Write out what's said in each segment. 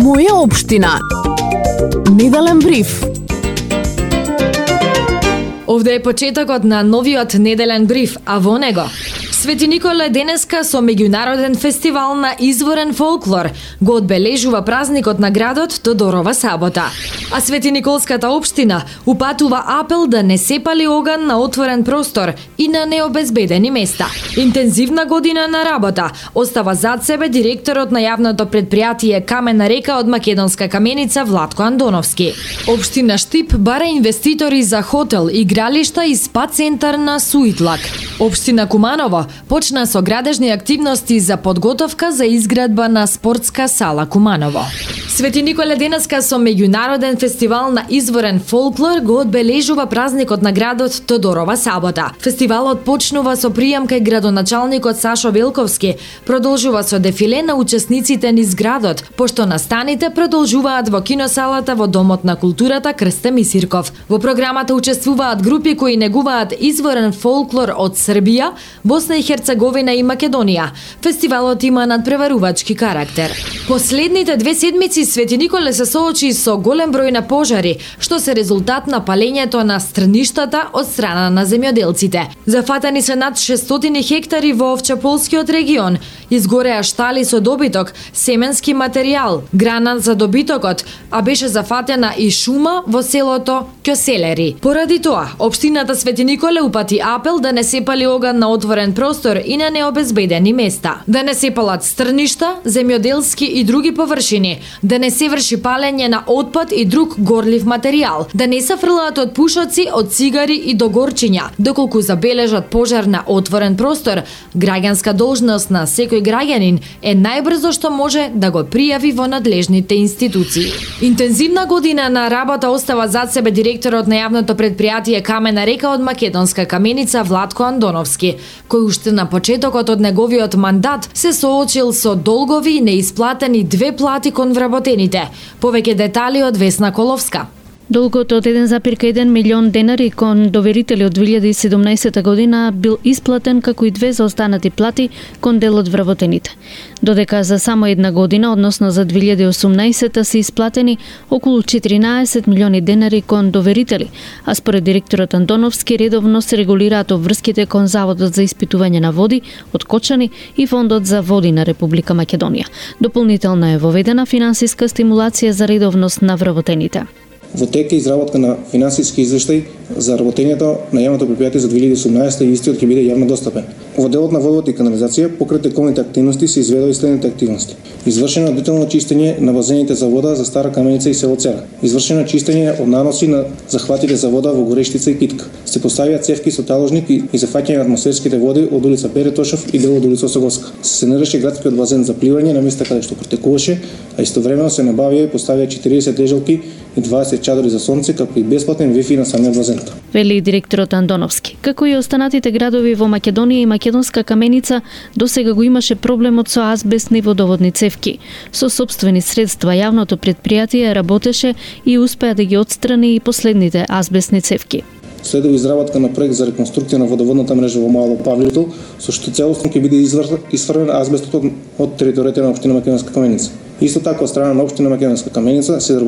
Моја општина. Неделен бриф. Овде е почетокот на новиот неделен бриф, а во него Свети Николе денеска со меѓународен фестивал на изворен фолклор го одбележува празникот на градот Тодорова сабота. А Свети Николската општина упатува апел да не се пали оган на отворен простор и на необезбедени места. Интензивна година на работа остава зад себе директорот на јавното предпријатие Камена река од Македонска каменица Владко Андоновски. Општина Штип бара инвеститори за хотел, игралишта и спа центар на Суитлак. Општина Куманово почна со градежни активности за подготовка за изградба на спортска сала Куманово. Свети Николе денеска со меѓународен фестивал на изворен фолклор го одбележува празникот на градот Тодорова сабота. Фестивалот почнува со пријам кај градоначалникот Сашо Велковски, продолжува со дефиле на учесниците низ градот, пошто настаните продолжуваат во киносалата во Домот на културата Крсте Мисирков. Во програмата учествуваат групи кои негуваат изворен фолклор од Србија, Босна и Херцеговина и Македонија. Фестивалот има надпреварувачки карактер. Последните 2 седмици Свети Николе се соочи со голем број на пожари, што се резултат на палењето на стрништата од страна на земјоделците. Зафатени се над 600 хектари во Овчаполскиот регион. Изгореа штали со добиток, семенски материјал, грана за добитокот, а беше зафатена и шума во селото Кјоселери. Поради тоа, општината Свети Николе упати апел да не се пали оган на отворен простор и на необезбедени места. Да не се палат стрништа, земјоделски и други површини, да не се врши палење на отпад и друг горлив материјал, да не се фрлаат од пушоци, од цигари и до горчиња. Доколку забележат пожар на отворен простор, граѓанска должност на секој граѓанин е најбрзо што може да го пријави во надлежните институции. Интензивна година на работа остава зад себе директорот на јавното предпријатие Камена река од Македонска каменица Владко Андоновски, кој уште на почетокот од неговиот мандат се соочил со долгови и неисплатени 2 плати кон вработените. Повеќе детали од Весна Коловска. Долгот од 1,1 милион денари кон доверители од 2017 година бил исплатен, како и 2 заостанати плати кон дел од вработените. Додека за само една година, односно за 2018 се исплатени околу 14 милиони денари кон доверители, а според директорот Андоновски редовно се регулираат обврските кон Заводот за испитување на води од Кочани и Фондот за води на Република Македонија. Дополнително е воведена финансиска стимулација за редовност на вработените. Во тек е изработка на финансиски извештај за работењето на јавното предпријатие за 2018 и истиот ќе биде јавно достапен. Во делот на водовод и канализација, покрај тековните активности се изведува и следните активности. Извршено детално чистење на базените за вода за Стара Каменица и село Цера. Извршено чистење од наноси на захватите за вода во Горештица и Китка. Се поставија цевки со таложник и зафаќање на атмосферските води од улица Перетошов и дел од улица Осоговска. Се санираше градскиот базен за пливање на места каде што протекуваше, а истовремено се набавија и поставија 40 лежалки и 20 чадори за сонце, како и бесплатен вифи на самиот базен. Вели директорот Андоновски. Како и останатите градови во Македонија и Македонска каменица, досега го имаше проблемот со азбестни водоводни цевки. Со сопствени средства јавното предпријатие работеше и успеа да ги отстрани и последните азбестни цевки. Следува изработка на проект за реконструкција на водоводната мрежа во Мало Павлитол, со што целосно ќе биде изфрлен азбестот од територијата на општина Македонска каменица. Исто така од страна на општина Македонска каменица се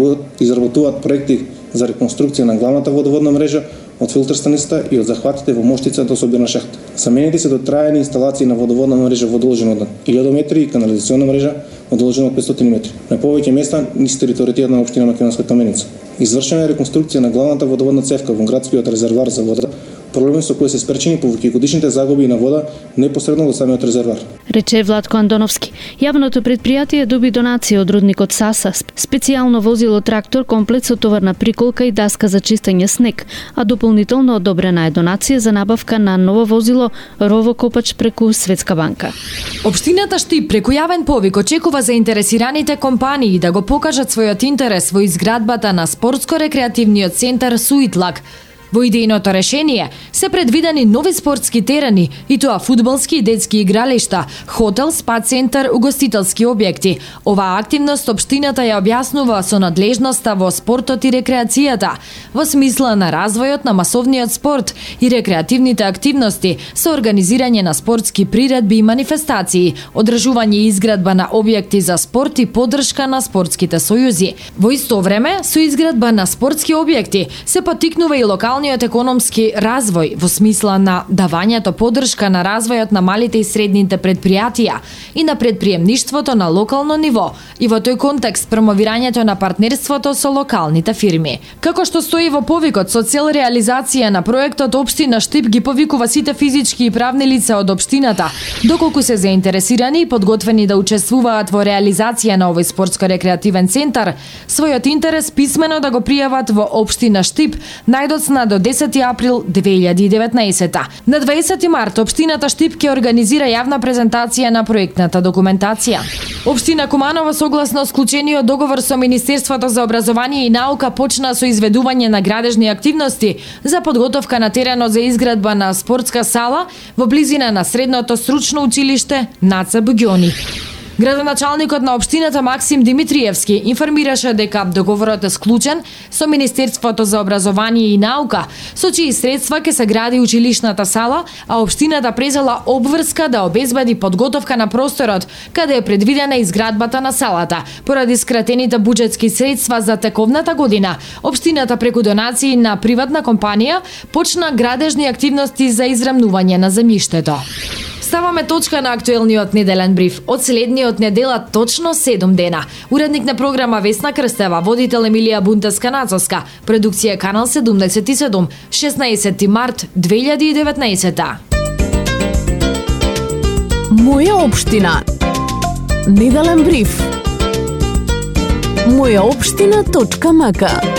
изработуваат проекти за реконструкција на главната водоводна мрежа од филтер станицата и од захватите во моштица до собирна шахта. Заменети се дотраени инсталации на водоводна мрежа во должина од 1000 метри и канализациона мрежа во должина од 500 метри. На повеќе места низ територијата на општина Македонска каменица. Извршена е реконструкција на главната водоводна цевка во градскиот резервар за вода, проблеми со кои се спречени повеќегодишните загуби на вода непосредно до самиот резервар. Рече Владко Андоновски. Јавното предпријатие доби донација од рудникот Саса, специјално возило трактор, комплет со товарна приколка и даска за чистење снег, а дополнително одобрена е донација за набавка на ново возило ровокопач преку Светска банка. Општината Штип преку јавен повик очекува заинтересираните компании да го покажат својот интерес во изградбата на спортско-рекреативниот центар Суитлак, Во идејното решение се предвидени нови спортски терени, и тоа фудбалски и детски игралишта, хотел, спа центар, угостителски објекти. Оваа активност општината ја објаснува со надлежноста во спортот и рекреацијата, во смисла на развојот на масовниот спорт и рекреативните активности со организирање на спортски приредби и манифестации, одржување и изградба на објекти за спорт и поддршка на спортските сојузи. Во исто време, со изградба на спортски објекти се поттикнува и локалниот економски развој во смисла на давањето поддршка на развојот на малите и средните предпријатија и на предприемништвото на локално ниво, и во тој контекст промовирањето на партнерството со локалните фирми. Како што стои во повикот, со цел реализација на проектот, општина Штип ги повикува сите физички и правни лица од општината, доколку се заинтересирани и подготвени да учествуваат во реализација на овој спортско-рекреативен центар, својот интерес писмено да го пријават во општина Штип најдоцна до 10 април 2019. На 20 март општината Штип ќе организира јавна презентација на проектната документација. Општина Куманово согласно склучениот договор со Министерството за образование и наука почна со изведување на градежни активности за подготовка на теренот за изградба на спортска сала во близина на средното стручно училиште Наца Буѓони. Градоначалникот на општината Максим Димитриевски информираше дека договорот е склучен со Министерството за образование и наука, со чии средства ќе се гради училишната сала, а општината презела обврска да обезбеди подготовка на просторот каде е предвидена изградбата на салата. Поради скратените буџетски средства за тековната година, општината преку донации на приватна компанија почна градежни активности за израмнување на земјиштето. Ставаме точка на актуелниот неделен бриф. Од следниот недела точно 7 дена. Уредник на програма Весна Крстева, водител Емилија Бунтеска-Нацовска, продукција Канал 77, 16 март 2019. Моја општина. Неделен бриф. Мојаопштина.мк